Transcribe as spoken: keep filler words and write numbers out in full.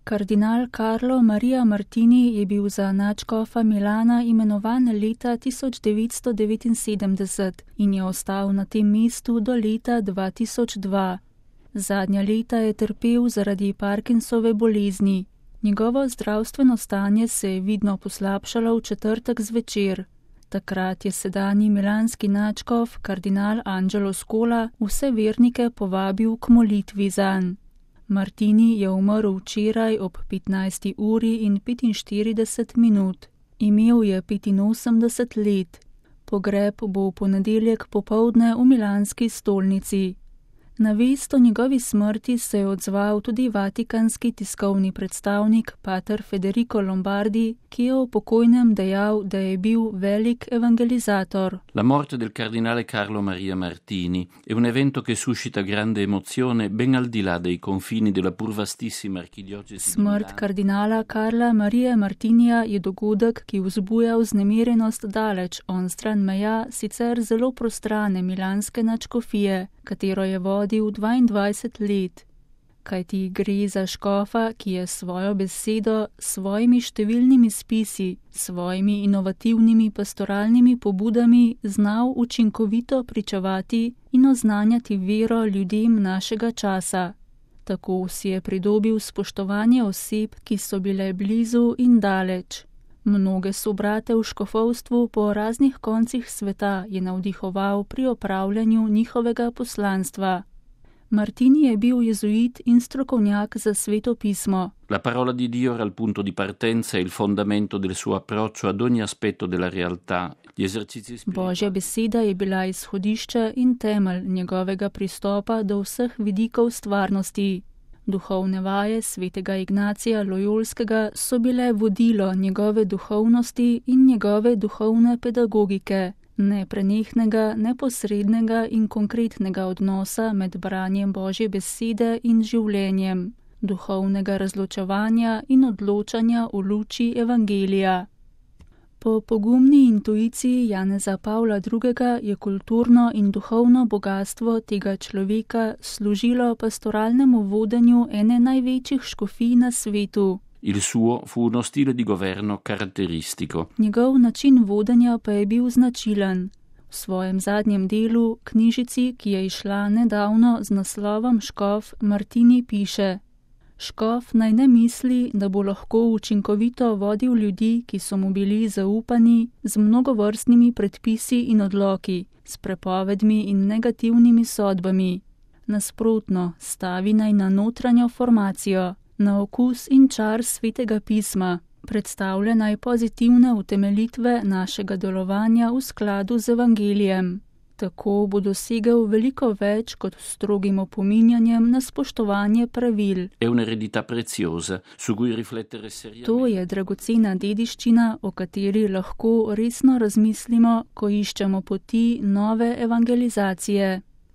Kardinal Carlo Maria Martini je bil za nadškofa Milana imenovan leta tisoč devetsto devetinsedemdeset in je ostal na tem mestu do leta dva tisoč dva. Zadnja leta je trpel zaradi Parkinsove bolezni. Njegovo zdravstveno stanje se je vidno poslabšalo v četrtek zvečer. Takrat je sedanji milanski nadškof, kardinal Angelo Scola, vse vernike povabil k molitvi zanj. Martini je umrl včeraj ob petnajsti uri in petinštirideset minut. Imel je petinosemdeset let. Pogreb bo v ponedeljek popoldne v milanski stolnici. Na vest o njegovi smrti se je odzval tudi vatikanski tiskovni predstavnik pater Federico Lombardi, ki je o pokojnem dejal, da je bil velik evangelizator. La morte del cardinale Carlo Maria Martini è un evento che suscita grande emozione ben al di là dei confini della pur vastissima archidiocesi. Smrt kardinala Carla Marie Martinija je dogodek, ki vzbuja vznemirjenost daleč onstran meja sicer zelo prostrane milanske nadškofije, katero je vodil dvaindvajset let. Kajti gre za škofa, ki je svojo besedo, svojimi številnimi spisi, svojimi inovativnimi pastoralnimi pobudami znal učinkovito pričevati in oznanjati vero ljudem našega časa. Tako si je pridobil spoštovanje oseb, ki so bile blizu in daleč. Mnoge sobrate v škofovstvu po raznih koncih sveta je navdihoval pri opravljanju njihovega poslanstva. Martini je bil jezuit in strokovnjak za sveto pismo. La parola di Dio era il punto di partenza e il fondamento del suo approccio ad ogni aspetto della realtà. Gli esercizi spirituali. Božja beseda je bila izhodišče in temelj njegovega pristopa do vseh vidikov stvarnosti. Duhovne vaje svetega Ignacija Lojolskega so bile vodilo njegove duhovnosti in njegove duhovne pedagogike, neprenehnega, neposrednega in konkretnega odnosa med branjem Božje besede in življenjem, duhovnega razločevanja in odločanja v luči evangelija. Po pogumni intuiciji Janeza Pavla drugega je kulturno in duhovno bogatstvo tega človeka služilo pastoralnemu vodenju ene največjih škofij na svetu. Il suo fu uno stile di governo caratteristico. Njegov način vodenja pa je bil značilen. V svojem zadnjem delu, knjižici, ki je izšla nedavno z naslovom Škof, Martini piše: Škof naj ne misli, da bo lahko učinkovito vodil ljudi, ki so mu bili zaupani, z mnogovrstnimi predpisi in odloki, s prepovedmi in negativnimi sodbami. Nasprotno, stavi naj na notranjo formacijo, na okus in čar svetega pisma, predstavlja naj pozitivne utemeljitve našega delovanja v skladu z evangelijem. Tako bo dosegel veliko več kot strogim opominjanjem na spoštovanje pravil. To je dragocena dediščina, o kateri lahko resno razmislimo, ko iščemo poti nove evangelizacije.